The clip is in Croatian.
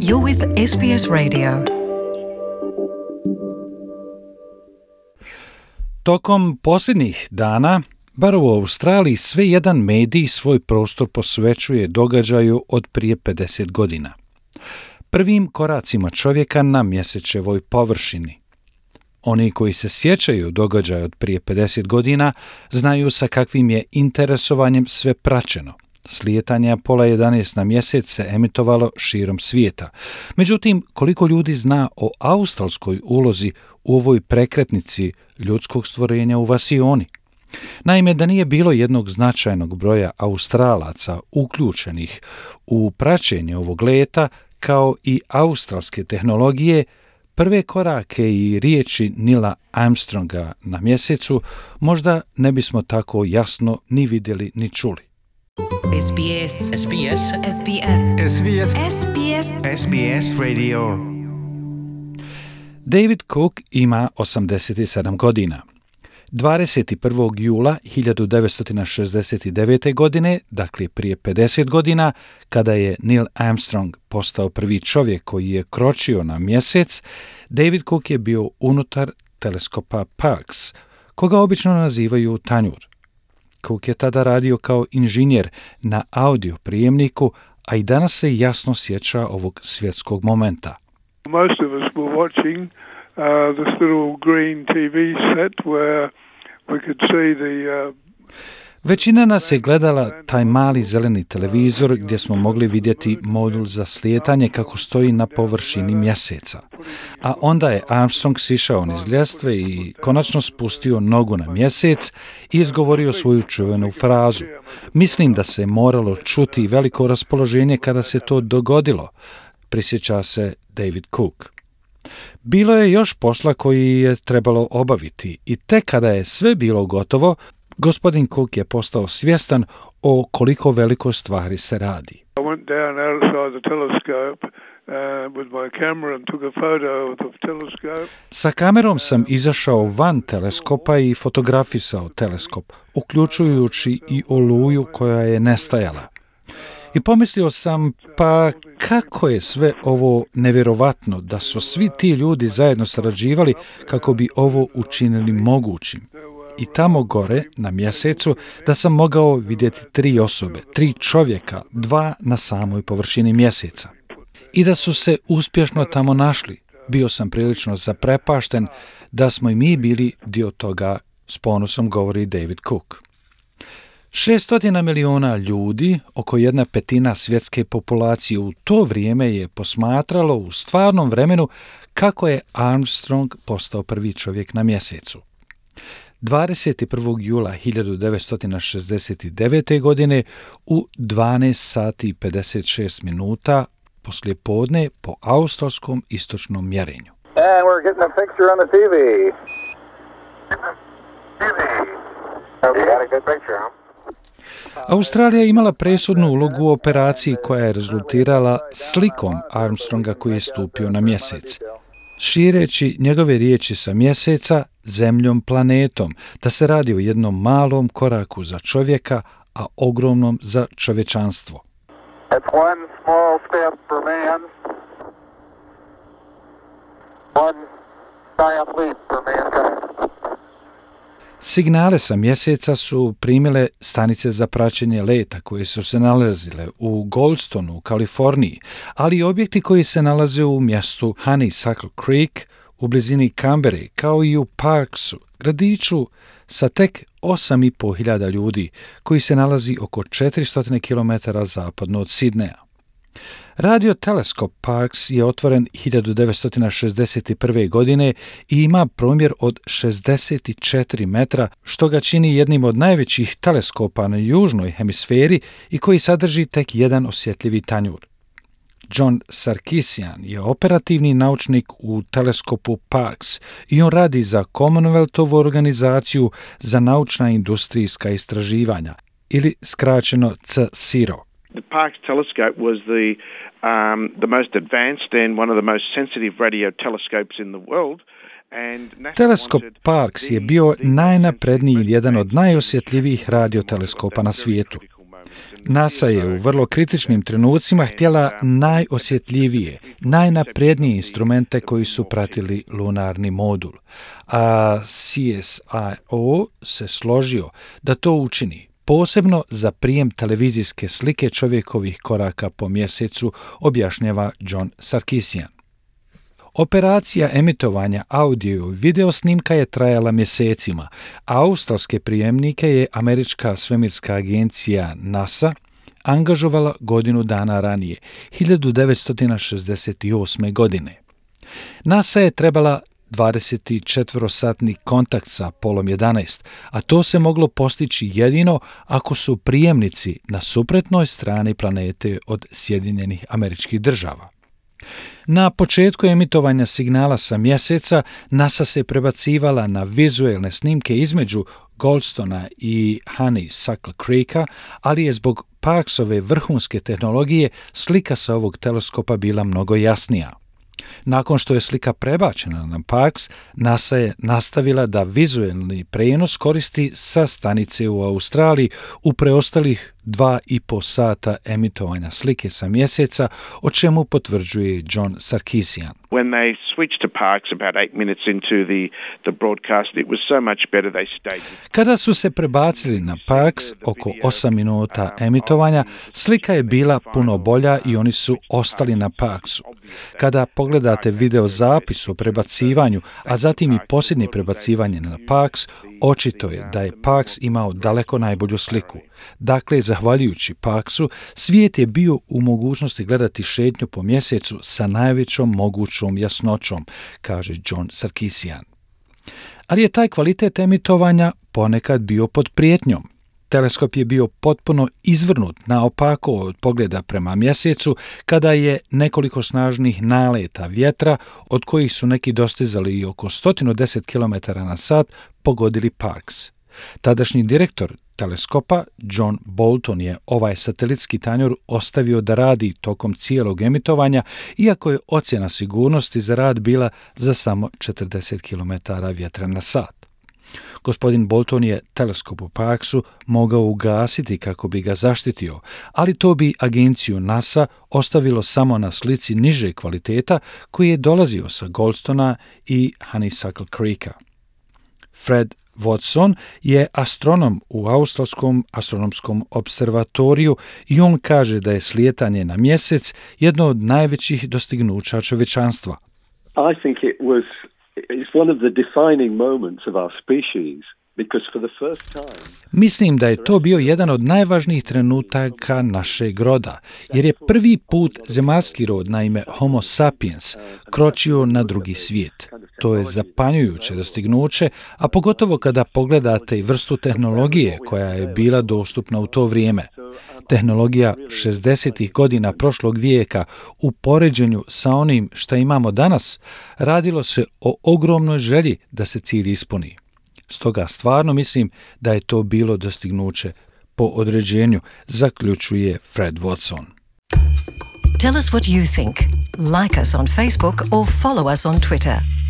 You're with SBS Radio. Tokom posljednjih dana, bar u Australiji, sve jedan medij svoj prostor posvećuje događaju od prije 50 godina. Prvim koracima čovjeka na mjesečevoj površini. Oni koji se sjećaju događaja od prije 50 godina znaju sa kakvim je interesovanjem sve praćeno. Slijetanje Apola 11 na mjesec se emitovalo širom svijeta. Međutim, koliko ljudi zna o australskoj ulozi u ovoj prekretnici ljudskog stvorenja u vasioni? Naime, da nije bilo jednog značajnog broja Australaca uključenih u praćenje ovog leta, kao i australske tehnologije, prve korake i riječi Neila Armstronga na mjesecu možda ne bismo tako jasno ni vidjeli ni čuli. SBS. SBS. SBS. SBS. SBS. SBS Radio. David Cook ima 87 godina. 21. jula 1969. godine, dakle prije 50 godina, kada je Neil Armstrong postao prvi čovjek koji je kročio na mjesec, David Cook je bio unutar teleskopa Parkes, koga obično nazivaju tanjur. Cook je tada radio kao inženjer na audio prijemniku, a i danas se jasno sjeća ovog svjetskog momenta. Most of us were watching this little green TV set where we could see the Većina nas je gledala taj mali zeleni televizor gdje smo mogli vidjeti modul za slijetanje kako stoji na površini mjeseca. A onda je Armstrong sišao niz ljestve i konačno spustio nogu na mjesec i izgovorio svoju čuvenu frazu. Mislim da se moralo čuti veliko raspoloženje kada se to dogodilo, prisjeća se David Cook. Bilo je još posla koji je trebalo obaviti i tek kada je sve bilo gotovo, gospodin Cook je postao svjestan o koliko velikoj stvari se radi. I went down outside the telescope with my camera and took a photo of the telescope. Sa kamerom sam izašao van teleskopa i fotografisao teleskop, uključujući i oluju koja je nestajala. I pomislio sam, pa kako je sve ovo nevjerovatno da su svi ti ljudi zajedno sarađivali kako bi ovo učinili mogućim. I tamo gore, na mjesecu, da sam mogao vidjeti 3 osobe, 3 čovjeka, 2 na samoj površini mjeseca. I da su se uspješno tamo našli. Bio sam prilično zaprepašten da smo i mi bili dio toga, s ponosom govori David Cook. 600 miliona ljudi, oko 1/5 svjetske populacije u to vrijeme je posmatralo u stvarnom vremenu kako je Armstrong postao prvi čovjek na mjesecu. 21. jula 1969. godine u 12 sati i 56 minuta poslije podne po australskom istočnom mjerenju. And we're getting a picture on the TV. You got a good picture, huh? Australija je imala presudnu ulogu u operaciji koja je rezultirala slikom Armstronga koji je stupio na mjesec, šireći njegove riječi sa mjeseca, zemljom, planetom, da se radi o jednom malom koraku za čovjeka, a ogromnom za čovječanstvo. It's one small step for man, one giant leap for mankind. Signale sa mjeseca su primile stanice za praćenje leta koje su se nalazile u Goldstonu, u Kaliforniji, ali i objekti koji se nalaze u mjestu Honeysuckle Creek u blizini Canberre, kao i u Parkesu, gradiću sa tek 8.500 ljudi, koji se nalazi oko 400 km zapadno od Sidneja. Radio teleskop Parkes je otvoren 1961. godine i ima promjer od 64 metra, što ga čini jednim od najvećih teleskopa na južnoj hemisferi i koji sadrži tek jedan osjetljivi tanjur. John Sarkisian je operativni naučnik u teleskopu Parkes i on radi za Commonwealthovu organizaciju za naučna industrijska istraživanja, ili skraćeno CSIRO. The Parkes telescope was the most advanced and one of the most sensitive radio telescopes in the world. Teleskop Parkes je bio najnapredniji i jedan od najosjetljivijih radioteleskopa na svijetu. NASA je u vrlo kritičnim trenucima htjela najosjetljivije, najnaprednije instrumente koji su pratili lunarni modul, a CSIRO se složio da to učini, posebno za prijem televizijske slike čovjekovih koraka po mjesecu, objašnjava John Sarkisian. Operacija emitovanja audio i video snimka je trajala mjesecima, a australske prijemnike je američka svemirska agencija NASA angažovala godinu dana ranije, 1968. godine. NASA je trebala 24-satni kontakt sa Apollo 11, a to se moglo postići jedino ako su prijemnici na suprotnoj strani planete od Sjedinjenih Američkih Država. Na početku emitovanja signala sa mjeseca NASA se prebacivala na vizuelne snimke između Goldstona i Honeysuckle Creeka, ali je zbog Parksove vrhunske tehnologije slika sa ovog teleskopa bila mnogo jasnija. Nakon što je slika prebačena na Parks, NASA je nastavila da vizuelni prenos koristi sa stanice u Australiji u preostalih 2,5 sata emitovanja slike sa mjeseca, o čemu potvrđuje John Sarkisian. When they switched to Parks about 8 minutes into the broadcast, it was so much better they stayed. Kada su se prebacili na Parks oko 8 minuta emitovanja, slika je bila puno bolja i oni su ostali na Parksu. Kada pogledate video zapis o prebacivanju, a zatim i posljednje prebacivanje na Parks, očito je da je Parks imao daleko najbolju sliku. Dakle, zahvaljujući Parksu, svijet je bio u mogućnosti gledati šetnju po mjesecu sa najvećom mogućom jasnoćom, kaže John Sarkisian. Ali je taj kvalitet emitovanja ponekad bio pod prijetnjom. Teleskop je bio potpuno izvrnut naopako od pogleda prema mjesecu kada je nekoliko snažnih naleta vjetra, od kojih su neki dostizali i oko 110 km/h, pogodili Parks. Tadašnji direktor teleskopa John Bolton je ovaj satelitski tanjur ostavio da radi tokom cijelog emitovanja, iako je ocjena sigurnosti za rad bila za samo 40 km vjetra na sat. Gospodin Bolton je teleskop u Parksu mogao ugasiti kako bi ga zaštitio, ali to bi agenciju NASA ostavilo samo na slici niže kvaliteta koji je dolazio sa Goldstona i Honeysuckle Creeka. Fred Watson je astronom u Australskom astronomskom observatoriju i on kaže da je slijetanje na mjesec jedno od najvećih dostignuća čovječanstva. I think it's one of the defining moments of our species. Mislim da je to bio jedan od najvažnijih trenutaka našeg roda, jer je prvi put zemaljski rod na ime Homo sapiens kročio na drugi svijet. To je zapanjujuće dostignuće, a pogotovo kada pogledate i vrstu tehnologije koja je bila dostupna u to vrijeme. Tehnologija 60. godina prošlog vijeka u poređenju sa onim što imamo danas, radilo se o ogromnoj želji da se cilj ispuni. Stoga stvarno mislim da je to bilo dostignuće po određenju, zaključuje Fred Watson. Tell us what you think. Like us on Facebook or follow us on Twitter.